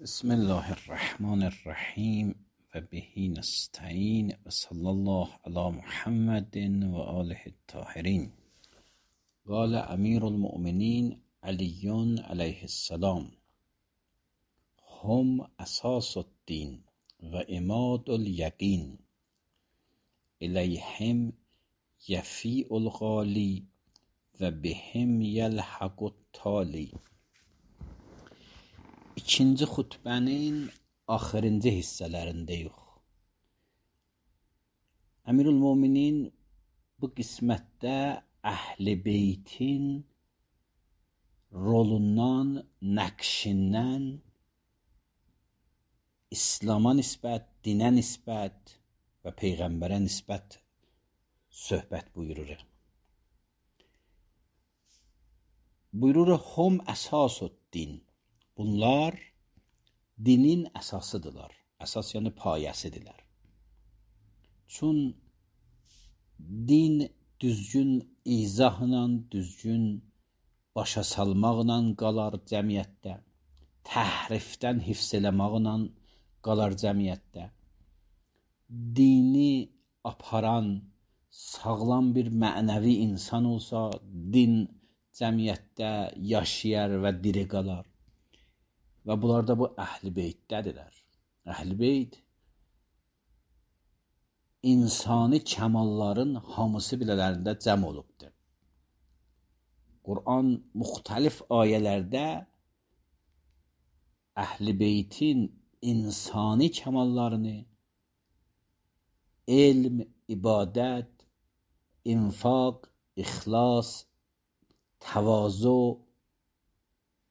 بسم الله الرحمن الرحیم و بهی نستعین و صلی الله علی محمد و آله الطاهرین. قال امیر المؤمنین علی علیه السلام: هم اساس الدین و عماد الیقین، الیهم یفیء الغالی və bihim yəlhaqut tali. İkinci xutbənin axırıncı hissələrindəyik. Əmirül-Möminin bu qismətdə Əhl-i Beytin rolundan, nəqşindən İslama nisbət, dinə nisbət və Peyğəmbərə nisbət söhbət buyurur. Buyurur, hum əsasuddin. Bunlar dinin əsasıdırlar. Əsas yəni payəsidirlər. Çün din düzgün izahla, düzgün başa salmaqla qalar cəmiyyətdə, təhrifdən hifz eləmaqla qalar cəmiyyətdə. Dini aparan sağlam bir mənəvi insan olsa, din cəmiyyətdə yaşayar və diri qalar. Və bunlar da bu Əhl-i Beytdədirlər. Əhl-i Beyt insani kəmalların hamısı bilələrində cəm olubdur. Quran müxtəlif ayələrdə Əhl-i Beytin insani kəmallarını, elm, ibadət, infaq, ixlas, təvazu,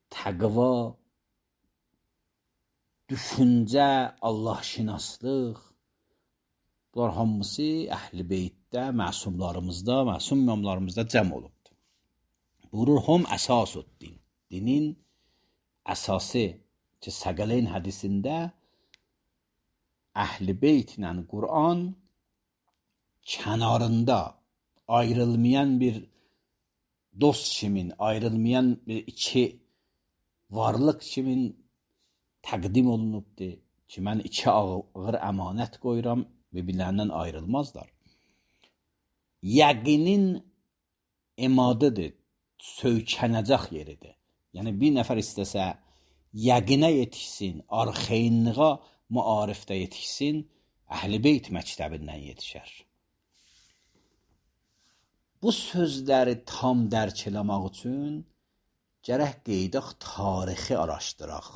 təqva, düşüncə, Allah-şinaslıq, bunlar hamısı Əhl-i Beytdə, məsumlarımızda, məsum imamlarımızda cəm olubdur. Buyurur, hum əsasuddin. Dinin əsası ki, Səqələyn hədisində Əhl-i Beytlə Quran kənarında ayrılmayan bir dost kimin, ayrılmayan bir iki varlıq kimin təqdim olunubdur ki, mən iki ağır əmanət qoyuram və bir-birlərindən ayrılmazlar. Yəqinin emadıdır, söykənəcək yeridir. Yəni, bir nəfər istəsə yəqinə yetişsin, arxeynlığa maarifdə yetişsin, Əhl-i Beyt məktəbindən yetişər. Bu sözləri tam dərk eləmək üçün gərək qeydaq tarixi araşdıraq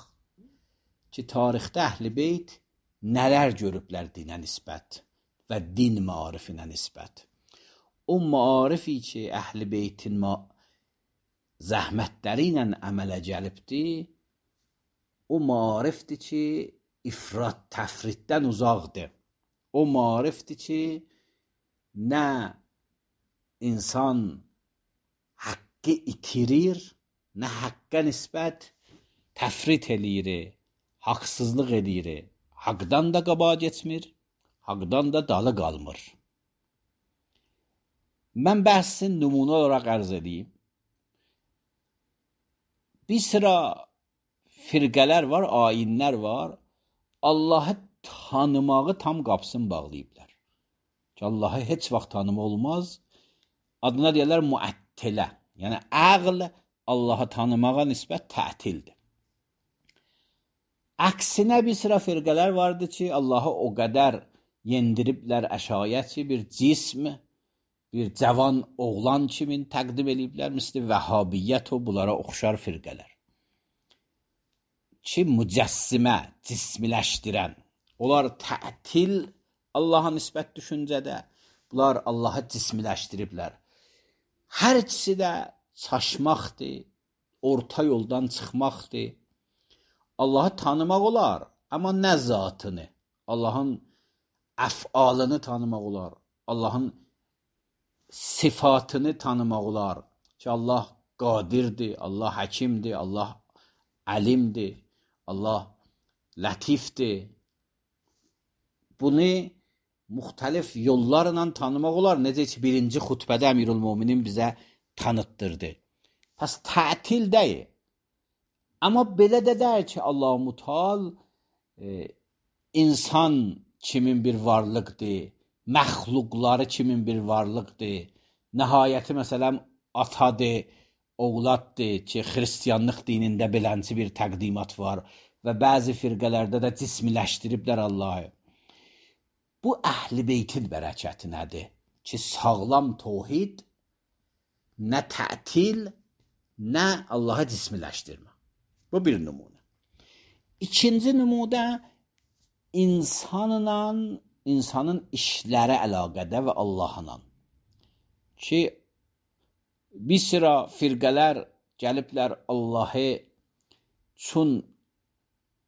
ki, tarixdə Əhl-i Beyt nələr görüblər dinə nisbət və din maarifinə nisbət. O maarifi ki, Əhl-i Beytin zəhmətləri ilə əmələ gəlibdir, o maarifdir ki, ifrat təfritdən uzaqdır. O maarifdir ki, nə insan haqqı itirir, nə haqqa nisbət təfrit eləyir, haqsızlıq edir, haqdan da qabağa geçmir, haqdan da dalı qalmır. Mən bəhsin nümunə olaraq ərz edeyim. Bir sıra firqələr var, ayinlər var, Allahı tanımağı tam qapısını bağlayıblar. Ki, Allahı heç vaxt tanıma olmaz. Adına deyirlər müəttilə. Yəni, əql Allahı tanımağa nisbət tətildir. Əksinə bir sıra firqələr vardır ki, Allahı o qədər yendiriblər əşayət ki, bir cism, bir cavan oğlan kimin təqdim ediblər, misli vəhabiyyət o bunlara oxşar firqələr. Ki, mücəssimə, cismiləşdirən, onlar tətil Allaha nisbət düşüncədə, bunlar Allahı cismiləşdiriblər. Hər ikisi də çaşmaqdır, orta yoldan çıxmaqdır. Allahı tanımaq olar, amma nə zatını, Allahın əfalını tanımaq olar, Allahın sifatını tanımaq olar ki, Allah qadirdir, Allah həkimdir, Allah əlimdir, Allah lətifdir. Bunu müxtəlif yollarla tanımaq olar. Necə ki, birinci xutbədə Əmirül-Möminin bizə tanıtdırdı. Pəs tətil deyil. Amma belə də deyir ki, Allah-u Müteal insan kimin bir varlıqdır, məxluqları kimin bir varlıqdır. Nəhayəti məsələn atadır, oğladdır ki, xristianlıq dinində belənci bir təqdimat var və bəzi firqələrdə də cismiləşdiriblər Allahı. Bu əhl-i beytin bərəkəti nədir? Ki, sağlam tevhid, nə tətil, nə Allah'a cismiləşdirmə. Bu bir nümunə. İkinci nümunə insanın işlərə əlaqədə və Allahla. Ki, bir sıra firqələr gəliblər Allah'ı çün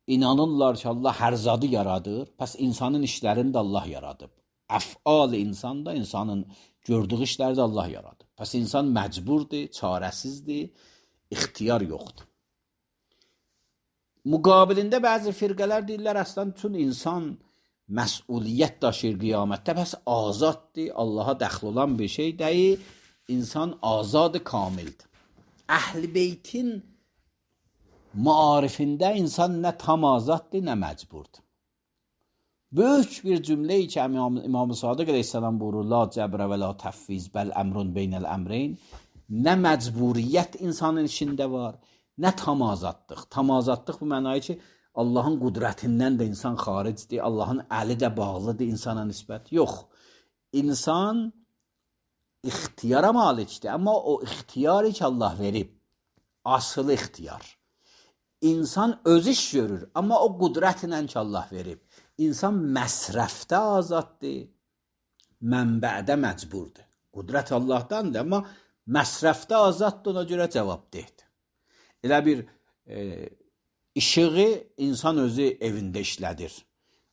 inanırlar ki, Allah hər zadı yaradır. Pəs insanın işlərini də Allah yaradıb. Əf'al insanda, insanın gördüyü işləri də Allah yaradıb. Pəs insan məcburdur, çarəsizdir, ixtiyar yoxdur. Müqabilində bəzi firqələr deyirlər, əslən tüm insan məsuliyyət daşıyır qiyamətdə, pəs azaddır, Allaha dəxl olan bir şey deyil, insan azadı kamildir. Əhl-i beytin maarifində insan nə tam azaddır, nə məcburdur. Böyük bir cümləyi ki, İmam-ı Sadiq əleyhissalam buyurur, la cəbrə və la təfviz, bəl əmrun beynəl əmreyn, nə məcburiyyət insanın içində var, nə tam azadlıq. Tam azadlıq bu mənayı ki, Allahın qudrətindən də insan xaricdir, Allahın əli də bağlıdır insana nisbət. Yox, insan ixtiyara malikdir, amma o ixtiyarı ki, Allah verib, asılı ixtiyar. İnsan öz iş görür, amma o qudrətlə ki, Allah verib. İnsan məsrəfdə azaddır, mənbədə məcburdur. Qudrət Allahdandır, amma məsrəfdə azaddır, ona görə cavab deyir. Elə bir işığı insan özü evində işlədir.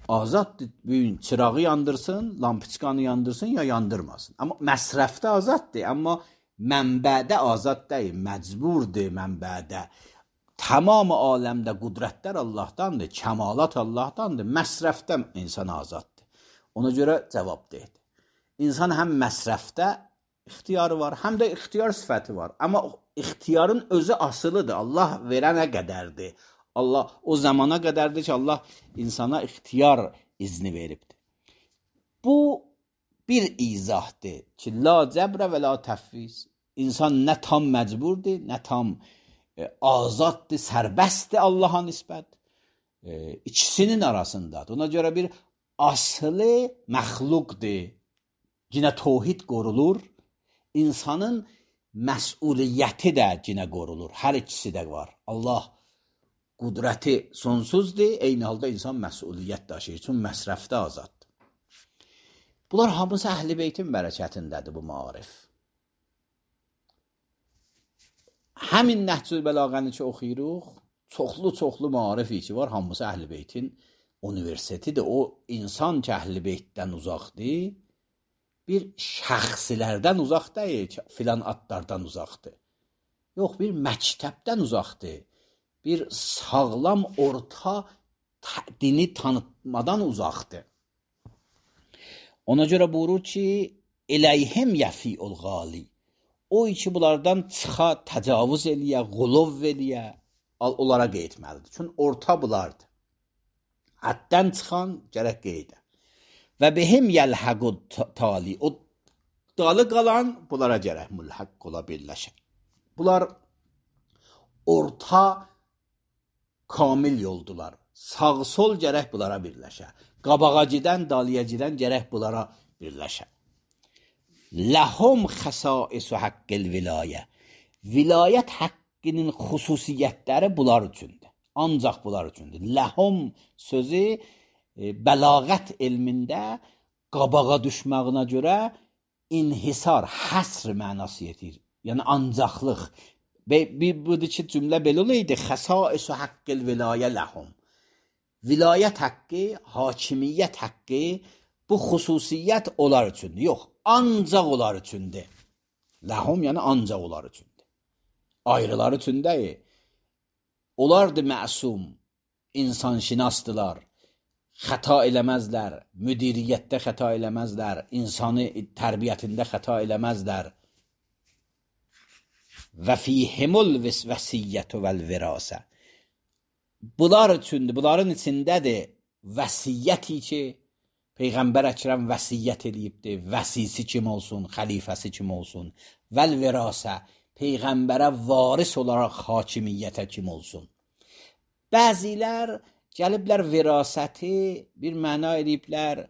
Azaddır, bugün çırağı yandırsın, lampiçkanı yandırsın ya yandırmasın. Amma məsrəfdə azaddır, amma mənbədə azad deyil, məcburdur mənbədə. Tamam aləmdə qudrətlər Allahdandır, kəmalat Allahdandır, məsrəfdə insan azaddır. Ona görə cavab deyir. İnsan həm məsrəfdə ixtiyarı var, həm də ixtiyar sifəti var. Amma ixtiyarın özü asılıdır, Allah verənə qədərdir. Allah o zamana qədərdir ki, Allah insana ixtiyar izni veribdir. Bu bir izahdır ki, la cəbrə və la təfviz. İnsan nə tam məcburdur, nə tam azaddır, sərbəstdir Allah'a nisbət. İkisinin arasındadır. Ona görə bir aslı məxluqdur. Yine tevhid qorulur. İnsanın məsuliyyəti də yine qorulur. Hər ikisi də var. Allah qudrəti sonsuzdur. Eyni halda insan məsuliyyət daşıyır. Çünki məsrəfdə azaddır. Bunlar hamısı Əhl-i Beytin bərəkətindədir bu maarif. Həmin Nəhcül Bəlağəni ki oxuyuruq, çoxlu maarifi ki var, hamısı Əhl-i Beytin universitetidir. O insan ki Əhl-i Beytdən uzaqdır, bir şəxsilərdən uzaq deyil ki, filan adlardan uzaqdır. Yox, bir məktəbdən uzaqdır. Bir sağlam orta dini tanıtmadan uzaqdır. Ona görə buyurur ki, eləyhim yəfi'ul ğali. O ki, bunlardan çıxa, təcavüz eləyə, qulov eləyə, onlara qeytməlidir. Çünki orta bulardır. Həddən çıxan gərək qeydə. Və behim yəlhəqud tali. O dalı qalan bunlara gərək mülhəq ola birləşə. Bunlar orta kamil yoldular. Sağ-sol gərək bunlara birləşə. Qabağa gedən, dalıya gedən gərək bunlara birləşə. Ləhum xəsaisu haqqil vilayə. Vilayət haqqının xüsusiyyətləri bunlar üçündür. Ancaq bunlar üçündür. Ləhum sözü bəlağət elmində qabağa düşməyinə görə inhisar, həsr mənası yetir. Yəni ancaqlıq. Budur ki, cümlə belə olaydı. Xəsaisu haqqil vilayə ləhum. Vilayət haqqı, hakimiyyət haqqı, bu xüsusiyyət onlar üçündür. Yox, ancaq onlar üçündür. Ləhum yəni ancaq onlar üçündür. Ayrılar üçün deyil. Onlardır məsum, insanşinasdılar, xəta eləməzlər, müdiriyyətdə xəta eləməzlər, insanı tərbiyyətində xəta eləməzlər. Və fihimul vəsiyyətü vəl virasə. bunlar üçündür. Bunların içindədir vəsiyyəti ki, Peyğəmbər Əkrəm vəsiyyət eləyibdir. Vəsisi kim olsun, xəlifəsi kim olsun. Vəl virasə, Peyğəmbərə varis olaraq hakimiyyətə kim olsun. Bəzilər gəliblər virasəti bir məna eləyiblər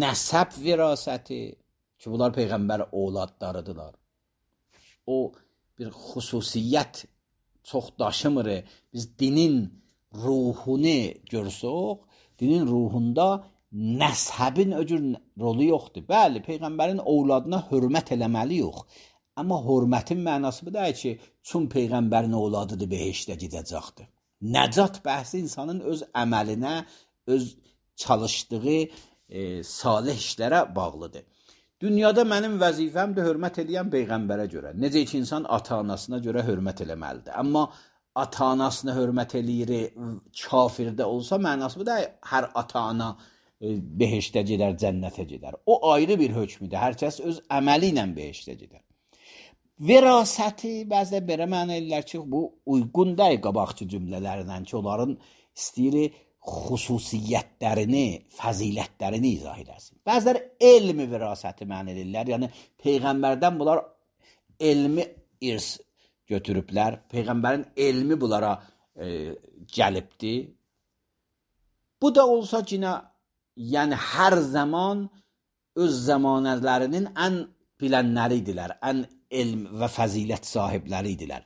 nəsəb virasəti ki, bunlar Peyğəmbər ovladlarıdırlar. O bir xüsusiyyət çox daşımır. Biz dinin ruhunu görsək, dinin ruhunda nəsəbin öcür rolu yoxdur. Bəli, Peyğəmbərin ovladına hörmət eləməliyik. Amma hörmətin mənası bu deyil ki, çün Peyğəmbərin ovladıdır, behiştə gedəcəkdir. Nəcat bəhsi insanın öz əməlinə, öz çalışdığı salih işlərə bağlıdır. Dünyada mənim vəzifəmdir hörmət edən Peyğəmbərə görə. Necə ki, insan ata-anasına görə hörmət eləməlidir. Amma ata-anasına hörmət eləyir, kafirdə olsa mənası bu deyil, hər ata-ana behiştə gedər, cənnətə gedər. O ayrı bir hökmüdür. Hər kəs öz əməli ilə behiştə gedər. Virasəti bəzən belə məna edirlər ki, bu uyğun deyil qabaqçı cümlələrlə ki, onların istəyir xüsusiyyətlərini, fəzilətlərini izah edəsin. Bəzilər elmi virasəti məna edirlər. Yəni Peyğəmbərdən bunlar elmi irs götürüblər. Peyğəmbərin elmi bunlara gəlibdir. Bu da olsa yenə yəni hər zaman öz zamanələrinin ən bilənləridirlər, ən elm və fəzilət sahibləridirlər.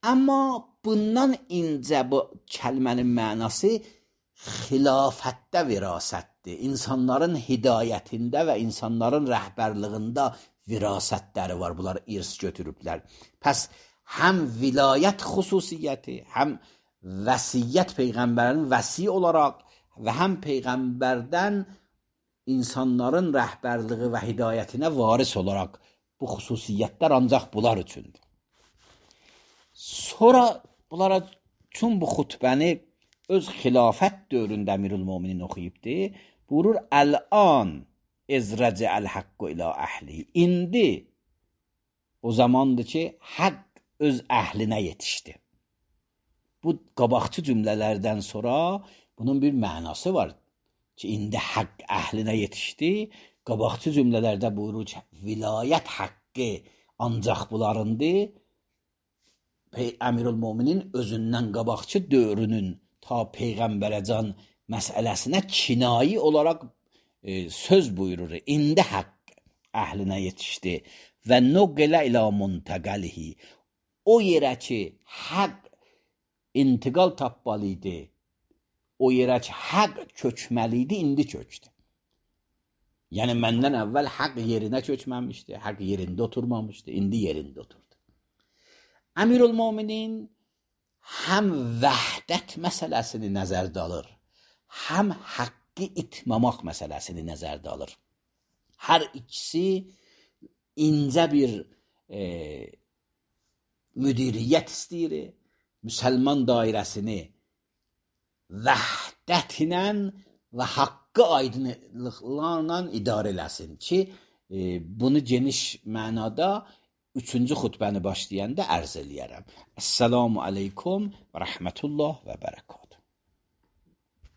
Amma bundan incə bu kəlmənin mənası xilafətdə virasətdir. İnsanların hidayətində və insanların rəhbərliyində virasətləri var. Bunlar irs götürüblər. Pəs həm vilayət xüsusiyyəti, həm vəsiyyət Peyğəmbərin vəsi olaraq və həm Peyğəmbərdən insanların rəhbərliyi və hidayətinə varis olaraq bu xüsusiyyətlər ancaq bunlar üçündür. Sonra bunlara üçün bu xutbəni öz xilafət dövründə Əmirülmöminin oxuyubdur. Buyurur, Əl-an ezrəcə'əl-haqqu ilə əhli. İndi o zamandır ki, haqq öz əhlinə yetişdi. Bu qabaqçı cümlələrdən sonra bunun bir mənası var ki, indi haqq əhlinə yetişdi. Qabaqçı cümlələrdə buyurur ki, vilayət haqqı ancaq bunlarındır. Əmirülmöminin özündən qabaqçı dövrünün ta Peyğəmbərəcan məsələsinə kinayi olaraq söz buyurur. İndi haqq əhlinə yetişdi və nuqilə ilə muntəqəlihi. O yerə ki, haqq intiqal tapmalı idi, o yerə ki, haqq köçməli idi, indi köçdü. Yəni, məndən əvvəl haqq yerinə köçməmişdi, haqq yerində oturmamışdı, indi yerində oturdu. Əmirülmöminin həm vəhdət məsələsini nəzərdə alır, həm haqqı itmamaq məsələsini nəzərdə alır. Hər ikisi incə bir müdiriyyət istəyir, müsəlman dairəsini vəhdətlə və haqqı aydınlıqlarla idarə eləsin ki, bunu geniş mənada 3-cü xutbəni başlayanda ərz eləyərəm. Əssalamu aleykum və rəhmətullah və bərəkət.